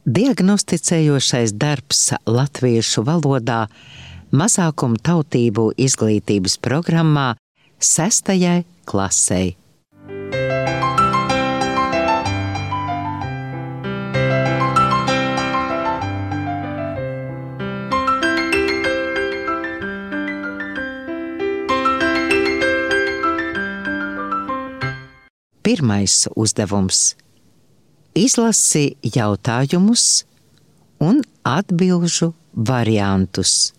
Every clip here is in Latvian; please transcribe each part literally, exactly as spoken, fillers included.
Diagnosticējošais darbs latviešu valodā mazākumu tautību izglītības programmā sestajai klasei. Pirmais uzdevums. Izlasi jautājumus un atbilžu variantus.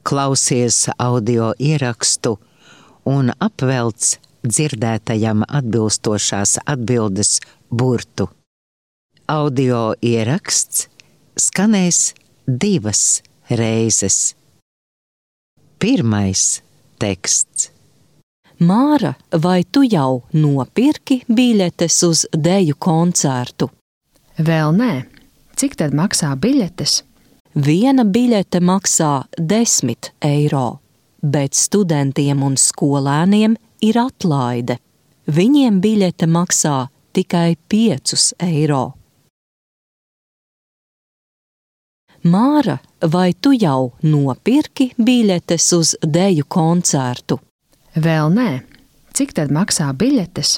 Klausies audio ierakstu un apvelc dzirdētajam atbilstošās atbildes burtu. Audio ieraksts skanēs divas reizes. Pirmais teksts. Māra, vai tu jau nopirki biļetes uz deju koncertu? Vēl nē. Cik tad maksā biļetes? Viena biļete maksā desmit eiro, bet studentiem un skolēniem ir atlaide. Viņiem biļete maksā tikai piecus eiro. Māra, vai tu jau nopirki biļetes uz deju koncertu? Vēl nē. Cik tad maksā biļetes?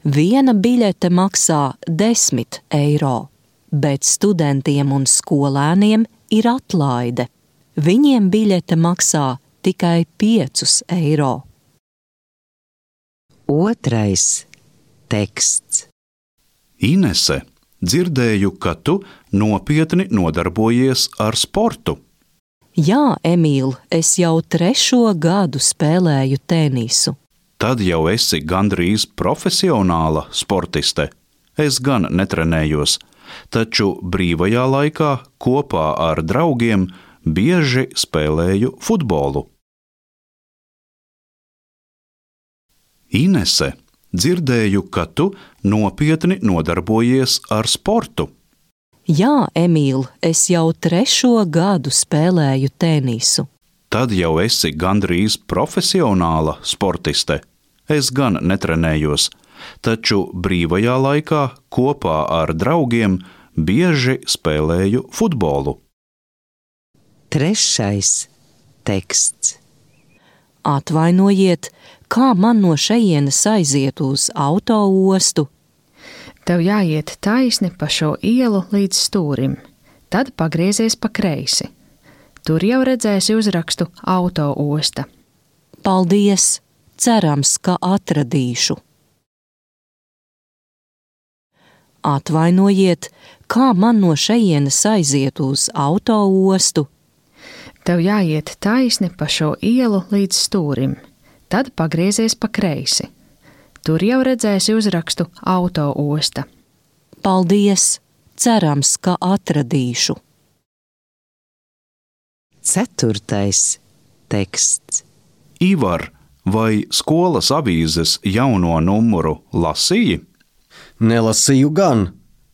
Viena biļete maksā desmit eiro, bet studentiem un skolēniem ir atlaide. Viņiem biļete maksā tikai piecus eiro. Otrais teksts. Inese, dzirdēju, ka tu nopietni nodarbojies ar sportu. Jā, Emīl, es jau trešo gadu spēlēju tenisu. Tad jau esi gandrīz profesionāla sportiste. Es gan netrenējos, taču brīvajā laikā kopā ar draugiem bieži spēlēju futbolu. Inese, dzirdēju, ka tu nopietni nodarbojies ar sportu. Jā, Emīl, es jau trešo gadu spēlēju tenisu. Tad jau esi gandrīz profesionāla sportiste. Es gan netrenējos, taču brīvajā laikā kopā ar draugiem bieži spēlēju futbolu. Trešais teksts. Atvainojiet, kā man no šejienes aiziet uz autoostu? Tev jāiet taisni pa šo ielu līdz stūrim, tad pagriezies pa kreisi. Tur jau redzēsi uzrakstu autoosta. Paldies! Cerams, ka atradīšu. Atvainojiet, kā man no šejienes aiziet uz autoostu? Tev jāiet taisni pa šo ielu līdz stūrim, tad pagriezies pa kreisi. Tur jau redzēsi uzrakstu autoosta. Paldies! Cerams, ka atradīšu. Ceturtais teksts. Ivar, vai skolas avīzes jauno numuru lasīji? Nelasīju gan.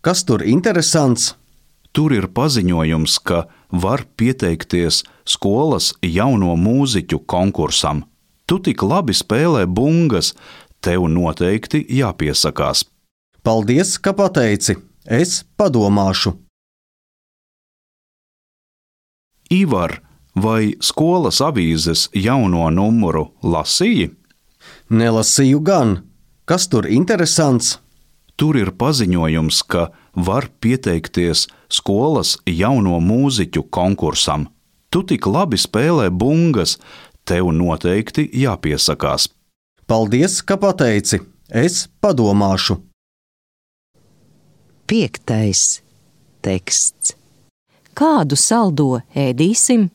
Kas tur interesants? Tur ir paziņojums, ka var pieteikties skolas jauno mūziķu konkursam. Tu tik labi spēlē bungas, tev noteikti jāpiesakās. Paldies, ka pateici. Es padomāšu. Ivar, vai skolas avīzes jauno numuru lasīji? Nelasīju gan. Kas tur interesants? Tur ir paziņojums, ka var pieteikties skolas jauno mūziķu konkursam. Tu tik labi spēlē bungas, tev noteikti jāpiesakās. Paldies, ka pateici. Es padomāšu. Piektais teksts. Kādu saldo ēdīsim?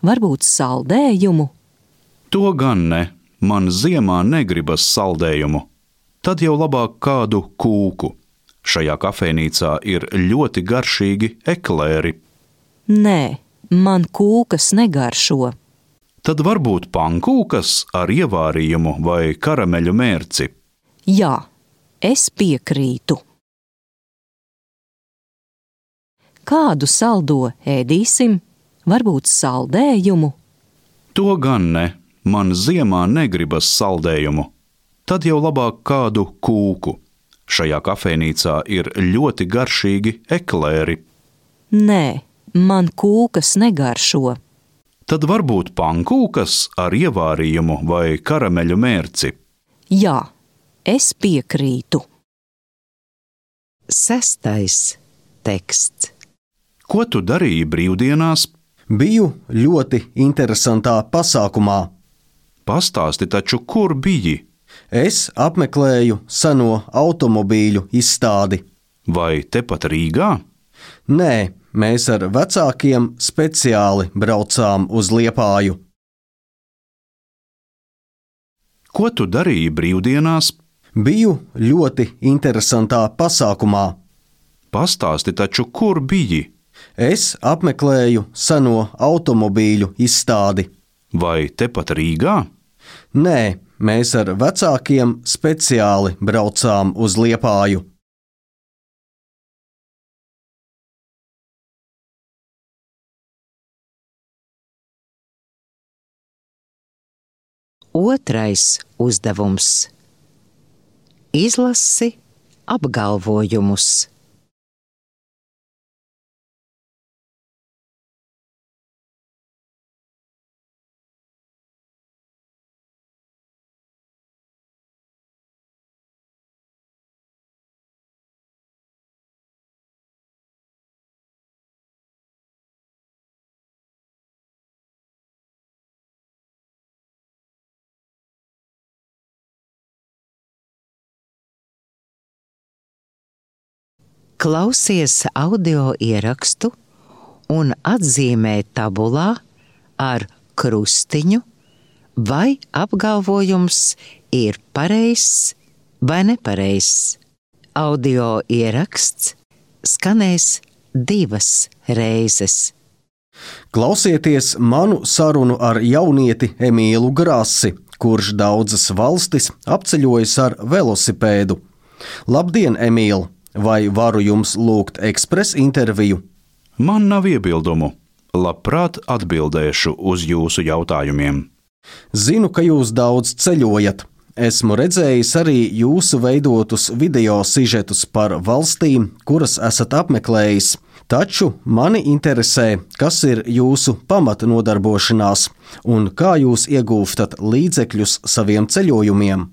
Varbūt saldējumu? To gan ne. Man ziemā negribas saldējumu. Tad jau labāk kādu kūku. Šajā kafejnīcā ir ļoti garšīgi eklēri. Nē, man kūkas negaršo. Tad varbūt pankūkas ar ievārījumu vai karameļu mērci. Jā, es piekrītu. Kādu saldo ēdīsim? Varbūt saldējumu? To gan ne, man ziemā negribas saldējumu. Tad jau labāk kādu kūku. Šajā kafejnīcā ir ļoti garšīgi eklēri. Nē, man kūkas negaršo. Tad varbūt pankūkas ar ievārījumu vai karameļu mērci. Jā, es piekrītu. Sestais teksts. Ko tu darīji brīvdienās? Biju ļoti interesantā pasākumā. Pastāsti taču, kur biji? Es apmeklēju seno automobīļu izstādi. Vai tepat Rīgā? Nē, mēs ar vecākiem speciāli braucām uz Liepāju. Ko tu darīji brīvdienās? Biju ļoti interesantā pasākumā. Pastāsti taču, kur biji? Es apmeklēju seno automobīļu izstādi. Vai tepat Rīgā? Nē, mēs ar vecākiem speciāli braucām uz Liepāju. Otrais uzdevums. Izlasi apgalvojumus. Klausies audio ierakstu un atzīmē tabulā ar krustiņu, vai apgalvojums ir pareizs vai nepareizs. Audio ieraksts skanēs divas reizes. Klausieties manu sarunu ar jaunieti Emīlu Grasi, kurš daudzas valstis apceļojis ar velosipēdu. Labdien, Emīl! Vai varu jums lūgt ekspresa interviju? Man nav iebildumu. Labprāt atbildēšu uz jūsu jautājumiem. Zinu, ka jūs daudz ceļojat. Esmu redzējis arī jūsu veidotus video sižetus par valstīm, kuras esat apmeklējis. Taču mani interesē, kas ir jūsu pamatnodarbošanās un kā jūs iegūstat līdzekļus saviem ceļojumiem.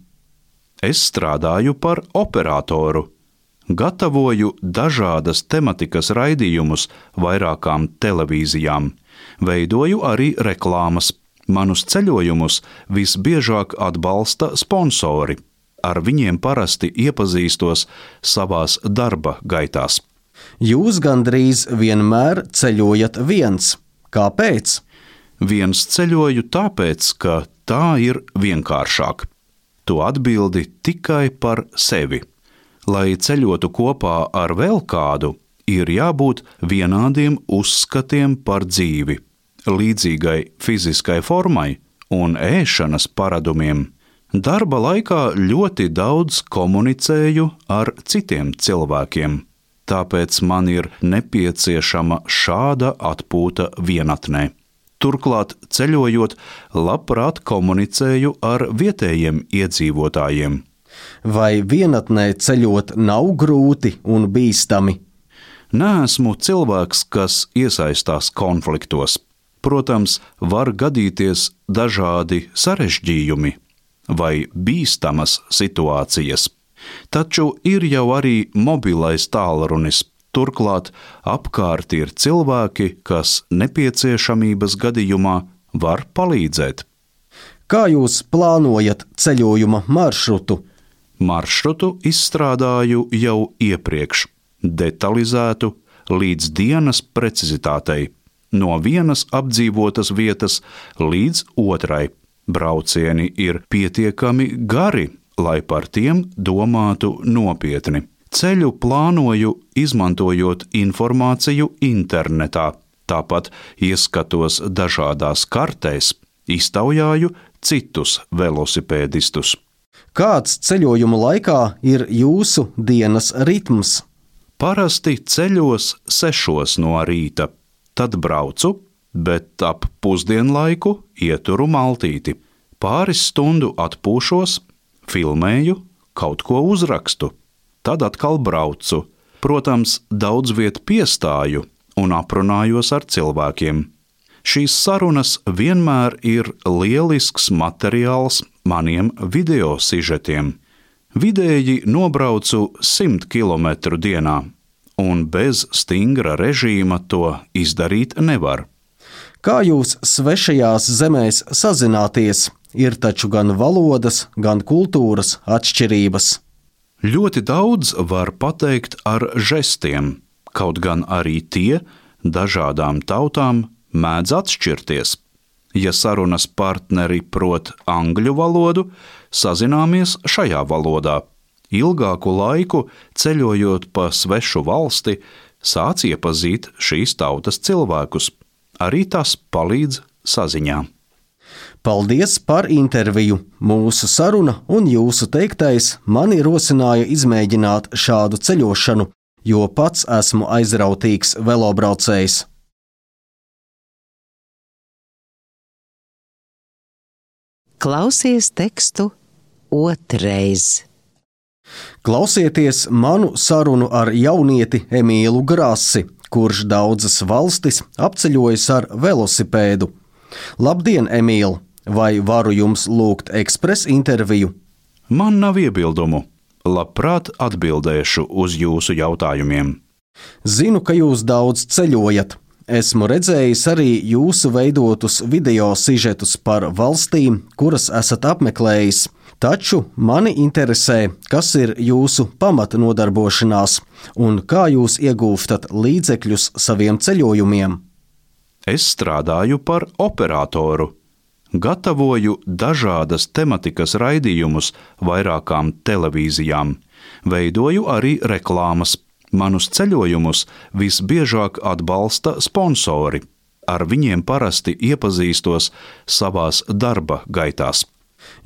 Es strādāju par operatoru. Gatavoju dažādas tematikas raidījumus vairākām televīzijām. Veidoju arī reklāmas. Manus ceļojumus visbiežāk atbalsta sponsori. Ar viņiem parasti iepazīstos savās darba gaitās. Jūs gandrīz vienmēr ceļojat viens. Kāpēc? Viens ceļoju tāpēc, ka tā ir vienkāršāk. Tu atbildi tikai par sevi. Lai ceļotu kopā ar vēl kādu, ir jābūt vienādiem uzskatiem par dzīvi, līdzīgai fiziskai formai un ēšanas paradumiem. Darba laikā ļoti daudz komunicēju ar citiem cilvēkiem, tāpēc man ir nepieciešama šāda atpūta vienatnē. Turklāt, ceļojot, labprāt komunicēju ar vietējiem iedzīvotājiem. Vai vienatnē ceļot nav grūti un bīstami? Neesmu cilvēks, kas iesaistās konfliktos. Protams, var gadīties dažādi sarežģījumi vai bīstamas situācijas. Taču ir jau arī mobilais tālrunis. Turklāt apkārt ir cilvēki, kas nepieciešamības gadījumā var palīdzēt. Kā jūs plānojat ceļojuma maršrutu? Maršrutu izstrādāju jau iepriekš, detalizētu līdz dienas precizitātei, no vienas apdzīvotas vietas līdz otrai. Braucieni ir pietiekami gari, lai par tiem domātu nopietni. Ceļu plānoju, izmantojot informāciju internetā, tāpat ieskatos dažādās kartēs, iztaujāju citus velosipēdistus. Kāds ceļojuma laikā ir jūsu dienas ritms? Parasti ceļos sešos no rīta, tad braucu, bet ap pusdienlaiku ieturu maltīti. Pāris stundu atpūšos, filmēju, kaut ko uzrakstu, tad atkal braucu. Protams, daudz viet piestāju un aprunājos ar cilvēkiem. Šīs sarunas vienmēr ir lielisks materiāls maniem video sižetiem. Vidēji nobraucu simt kilometru dienā, un bez stingra režīma to izdarīt nevar. Kā jūs svešajās zemēs sazināties? Ir taču gan valodas, gan kultūras atšķirības. Ļoti daudz var pateikt ar žestiem, kaut gan arī tie dažādām tautām mēdz atšķirties. Ja sarunas partneri prot angļu valodu, sazināmies šajā valodā. Ilgāku laiku ceļojot pa svešu valsti, sāc iepazīt šīs tautas cilvēkus. Arī tas palīdz saziņā. Paldies par interviju! Mūsu saruna un jūsu teiktais mani rosināja izmēģināt šādu ceļošanu, jo pats esmu aizrautīgs velobraucējs. Klausies tekstu otrais. Klausieties manu sarunu ar jaunieti Emīlu Grasi, kurš daudzas valstis apceļojas ar velosipēdu. Labdien, Emīl! Vai varu jums lūgt ekspres interviju? Man nav iebildumu. Labprāt atbildēšu uz jūsu jautājumiem. Zinu, ka jūs daudz ceļojat. Esmu redzējis arī jūsu veidotus video sižetus par valstīm, kuras esat apmeklējis. Taču mani interesē, kas ir jūsu pamata nodarbošanās un kā jūs iegūstat līdzekļus saviem ceļojumiem. Es strādāju par operatoru. Gatavoju dažādas tematikas raidījumus vairākām televīzijām. Veidoju arī reklāmas. Manus ceļojumus visbiežāk atbalsta sponsori. Ar viņiem parasti iepazīstos savās darba gaitās.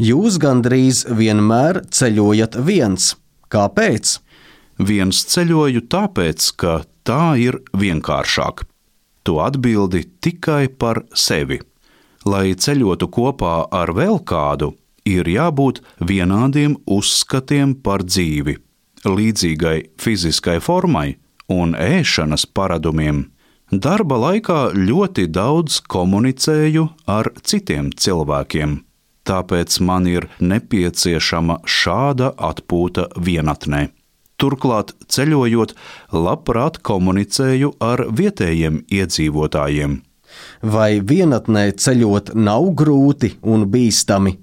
Jūs gandrīz vienmēr ceļojat viens. Kāpēc? Viens ceļoju tāpēc, ka tā ir vienkāršāk. Tu atbildi tikai par sevi. Lai ceļotu kopā ar vēl kādu, ir jābūt vienādiem uzskatiem par dzīvi, līdzīgai fiziskai formai un ēšanas paradumiem. Darba laikā ļoti daudz komunicēju ar citiem cilvēkiem, tāpēc man ir nepieciešama šāda atpūta vienatnē. Turklāt, ceļojot, labprāt komunicēju ar vietējiem iedzīvotājiem. Vai vienatnē ceļot nav grūti un bīstami?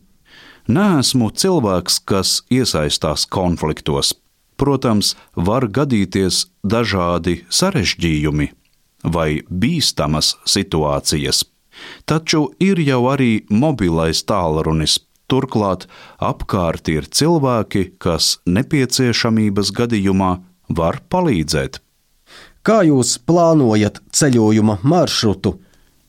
Neesmu cilvēks, kas iesaistās konfliktos. Protams, var gadīties dažādi sarežģījumi vai bīstamas situācijas. Taču ir jau arī mobilais tālrunis. Turklāt apkārt ir cilvēki, kas nepieciešamības gadījumā var palīdzēt. Kā jūs plānojat ceļojuma maršrutu?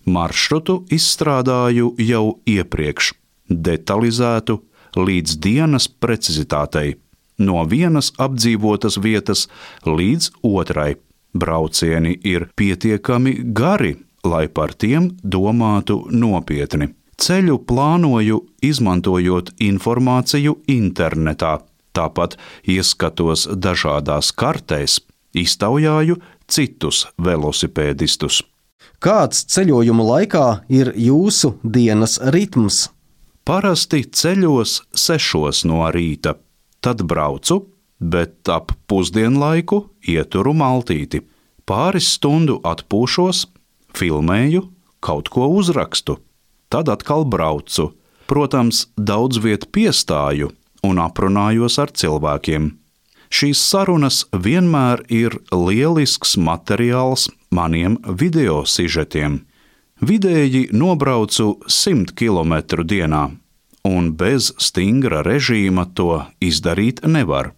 Maršrutu izstrādāju jau iepriekš, detalizētu līdz dienas precizitātei, no vienas apdzīvotas vietas līdz otrai. Braucieni ir pietiekami gari, lai par tiem domātu nopietni. Ceļu plānoju, izmantojot informāciju internetā, tāpat ieskatos dažādās kartēs, iztaujāju citus velosipēdistus. Kāds ceļojuma laikā ir jūsu dienas ritms? Parasti ceļos sešos no rīta, tad braucu, bet ap pusdienlaiku ieturu maltīti. Pāris stundu atpūšos, filmēju, kaut ko uzrakstu, tad atkal braucu. Protams, daudz viet piestāju un aprunājos ar cilvēkiem. Šīs sarunas vienmēr ir lielisks materiāls maniem video sižetiem. Vidēji nobraucu simt kilometru dienā, un bez stingra režīma to izdarīt nevar.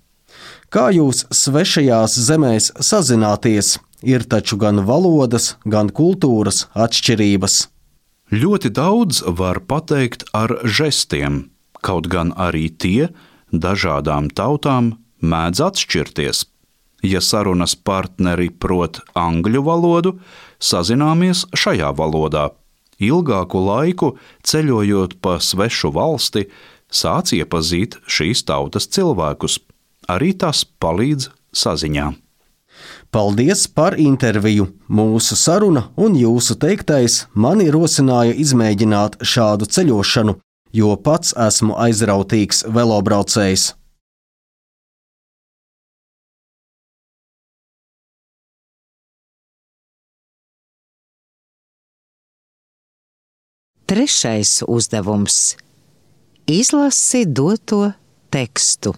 Kā jūs svešajās zemēs sazināties? Ir taču gan valodas, gan kultūras atšķirības. Ļoti daudz var pateikt ar žestiem, kaut gan arī tie dažādām tautām mēdz atšķirties. Ja sarunas partneri prot angļu valodu, sazināmies šajā valodā. Ilgāku laiku ceļojot pa svešu valsti, sāc iepazīt šīs tautas cilvēkus. Arī tas palīdz saziņā. Paldies par interviju! Mūsu saruna un jūsu teiktais mani rosināja izmēģināt šādu ceļošanu, jo pats esmu aizrautīgs velobraucējs. Trešais uzdevums – izlasi doto tekstu.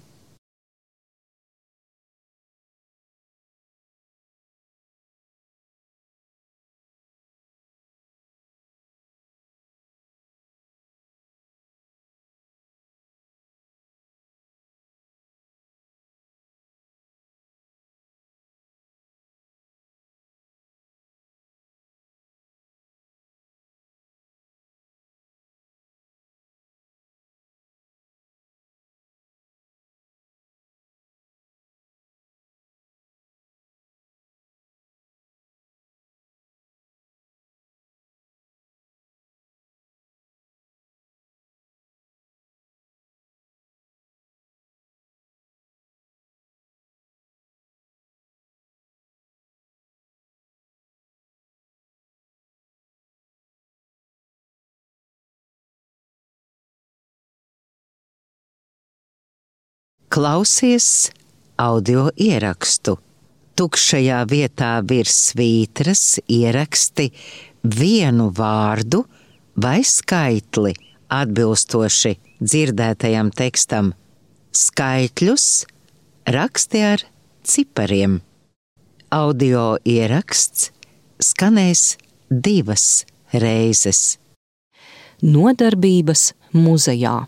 Klausies audio ierakstu. Tukšajā vietā virs svītras ieraksti vienu vārdu vai skaitli atbilstoši dzirdētajam tekstam. Skaitļus raksti ar cipariem. Audio ieraksts skanēs divas reizes. Nodarbības muzejā.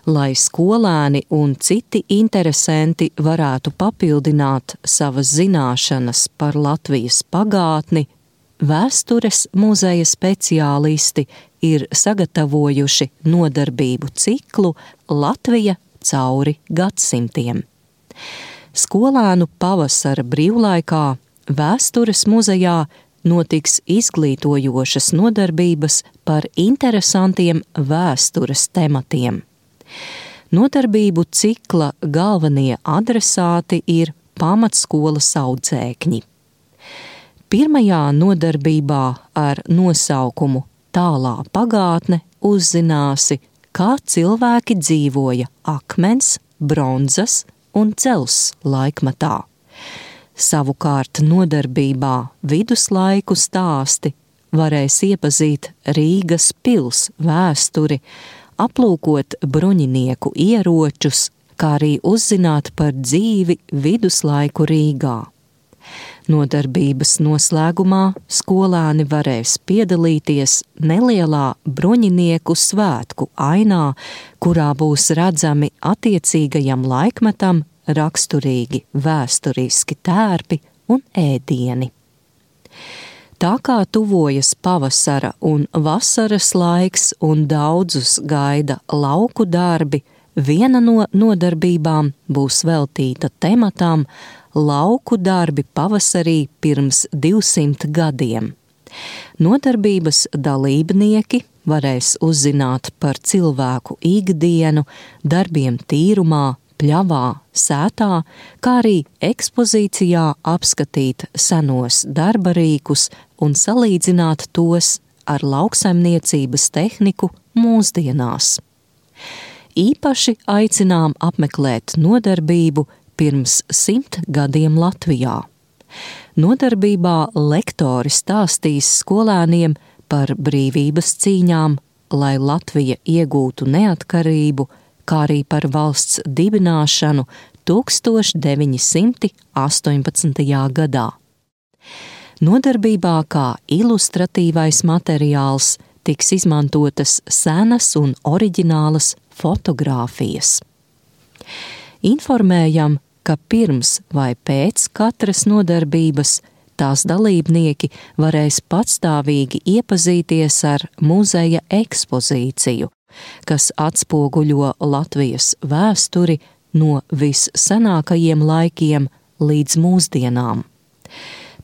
Lai skolēni un citi interesanti varētu papildināt savas zināšanas par Latvijas pagātni, Vēstures muzeja speciālisti ir sagatavojuši nodarbību ciklu Latvija cauri gadsimtiem. Skolēnu pavasara brīvlaikā Vēstures muzejā notiks izglītojošas nodarbības par interesantiem vēstures tematiem. Nodarbību cikla galvenie adresāti ir pamatskolas audzēkņi. Pirmajā nodarbībā ar nosaukumu Tālā pagātne uzzināsi, kā cilvēki dzīvoja akmens, bronzas un dzels laikmatā. Savukārt nodarbībā Viduslaiku stāsti varēs iepazīt Rīgas pils vēsturi, aplūkot bruņinieku ieročus, kā arī uzzināt par dzīvi viduslaiku Rīgā. Nodarbības noslēgumā skolēni varēs piedalīties nelielā bruņinieku svētku ainā, kurā būs redzami attiecīgajam laikmetam raksturīgi vēsturiski tērpi un ēdieni. Tā kā tuvojas pavasara un vasaras laiks un daudzus gaida lauku darbi, viena no nodarbībām būs veltīta tematam lauku darbi pavasarī pirms divsimt gadiem. Nodarbības dalībnieki varēs uzzināt par cilvēku ikdienu, darbiem tīrumā, pļavā, sētā, kā arī ekspozīcijā apskatīt senos darba rīkus un salīdzināt tos ar lauksaimniecības tehniku mūsdienās. Īpaši aicinām apmeklēt nodarbību pirms simt gadiem Latvijā. Nodarbībā lektori stāstīs skolēniem par brīvības cīņām, lai Latvija iegūtu neatkarību, kā arī par valsts dibināšanu tūkstoš deviņi simti astoņpadsmitajā gadā. Nodarbībā kā ilustratīvais materiāls tiks izmantotas senas un oriģinālas fotogrāfijas. Informējam, ka pirms vai pēc katras nodarbības tās dalībnieki varēs patstāvīgi iepazīties ar muzeja ekspozīciju, kas atspoguļo Latvijas vēsturi no vissenākajiem laikiem līdz mūsdienām.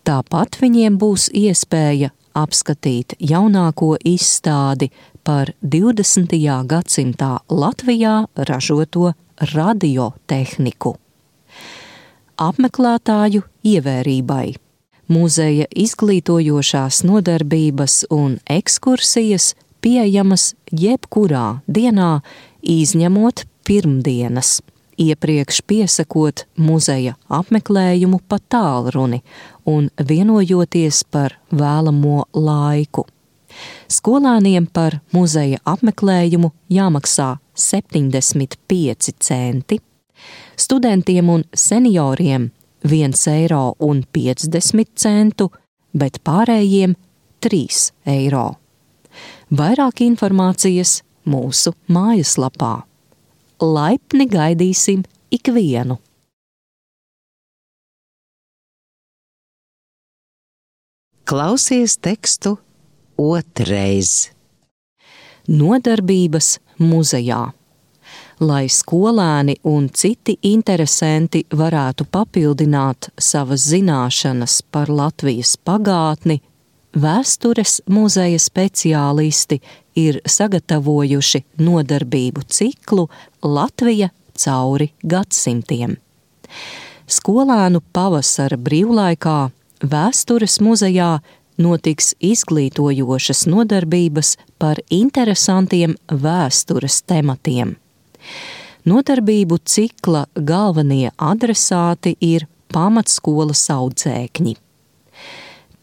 Tāpat viņiem būs iespēja apskatīt jaunāko izstādi par divdesmitajā gadsimtā Latvijā ražoto radiotehniku. Apmeklētāju ievērībai. Muzeja izglītojošās nodarbības un ekskursijas pieejamas jebkurā dienā, izņemot pirmdienas, iepriekš piesakot muzeja apmeklējumu pa tālruni un vienojoties par vēlamo laiku. Skolēniem par muzeja apmeklējumu jāmaksā septiņdesmit pieci centi, studentiem un senioriem viens eiro un piecdesmit centu, bet pārējiem trīs eiro. Vairāk informācijas mūsu mājaslapā. Laipni gaidīsim ikvienu! Klausies tekstu otrais. Nodarbības muzejā. Lai skolēni un citi interesanti varētu papildināt savas zināšanas par Latvijas pagātni, Vēstures muzeja speciālisti ir sagatavojuši nodarbību ciklu Latvija cauri gadsimtiem. Skolēnu pavasara brīvlaikā Vēstures muzejā notiks izglītojošas nodarbības par interesantiem vēstures tematiem. Nodarbību cikla galvenie adresāti ir pamatskolas audzēkņi.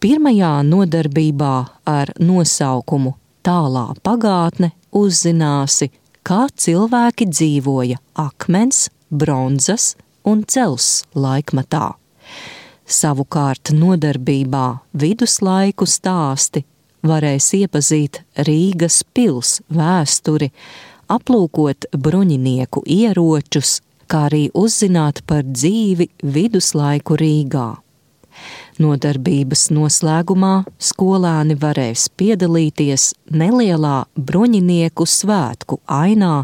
Pirmajā nodarbībā ar nosaukumu Tālā pagātne uzzināsi, kā cilvēki dzīvoja akmens, bronzas un dzelzs laikmatā. Savukārt nodarbībā Viduslaiku stāsti varēs iepazīt Rīgas pils vēsturi, aplūkot bruņinieku ieročus, kā arī uzzināt par dzīvi viduslaiku Rīgā. Nodarbības noslēgumā skolēni varēs piedalīties nelielā bruņinieku svētku ainā,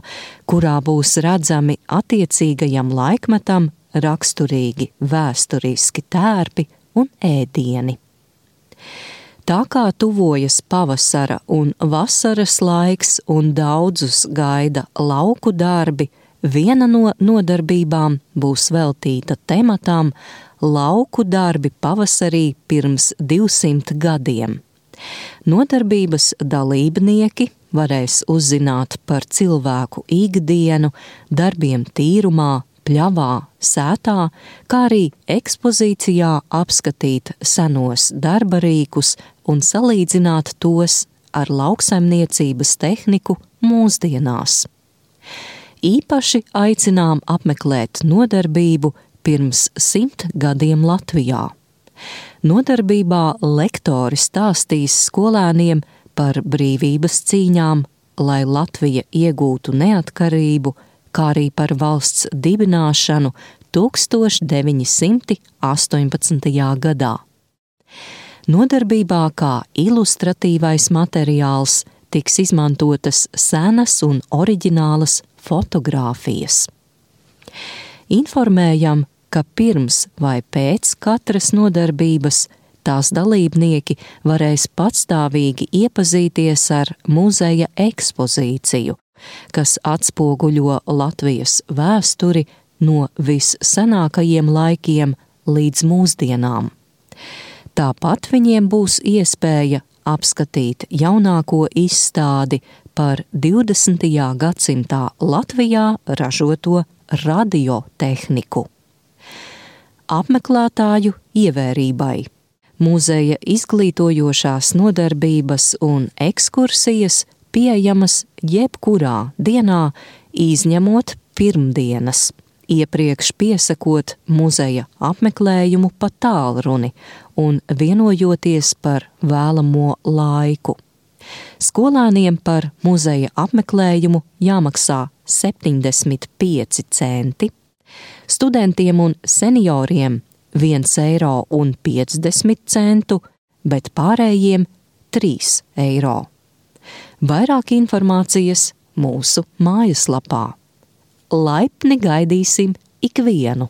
kurā būs redzami attiecīgajam laikmetam raksturīgi vēsturiski tērpi un ēdieni. Tā kā tuvojas pavasara un vasaras laiks un daudzus gaida lauku darbi, viena no nodarbībām būs veltīta tematam Lauku darbi pavasarī pirms divsimt gadiem. Nodarbības dalībnieki varēs uzzināt par cilvēku ikdienu, darbiem tīrumā, pļavā, sētā, kā arī ekspozīcijā apskatīt senos darba rīkus un salīdzināt tos ar lauksaimniecības tehniku mūsdienās. Īpaši aicinām apmeklēt nodarbību pirms simt gadiem Latvijā. Nodarbībā lektori stāstīs skolēniem par brīvības cīņām, lai Latvija iegūtu neatkarību, kā arī par valsts dibināšanu tūkstoš deviņi simti astoņpadsmitajā gadā. Nodarbībā kā ilustratīvais materiāls tiks izmantotas senas un oriģinālas fotogrāfijas. Informējam, ka pirms vai pēc katras nodarbības tās dalībnieki varēs patstāvīgi iepazīties ar muzeja ekspozīciju, kas atspoguļo Latvijas vēsturi no vissenākajiem laikiem līdz mūsdienām. Tāpat viņiem būs iespēja apskatīt jaunāko izstādi par divdesmitajā gadsimtā Latvijā ražoto radiotehniku. Apmeklētāju ievērībai. Muzeja izglītojošās nodarbības un ekskursijas pieejamas jebkurā dienā, izņemot pirmdienas, iepriekš piesakot muzeja apmeklējumu pa tālruni un vienojoties par vēlamo laiku. Skolēniem par muzeja apmeklējumu jāmaksā septiņdesmit pieci centi, Studentiem un senioriem viens eiro un piecdesmit centu, bet pārējiem trīs eiro. Vairāk informācijas mūsu mājaslapā. Laipni gaidīsim ikvienu!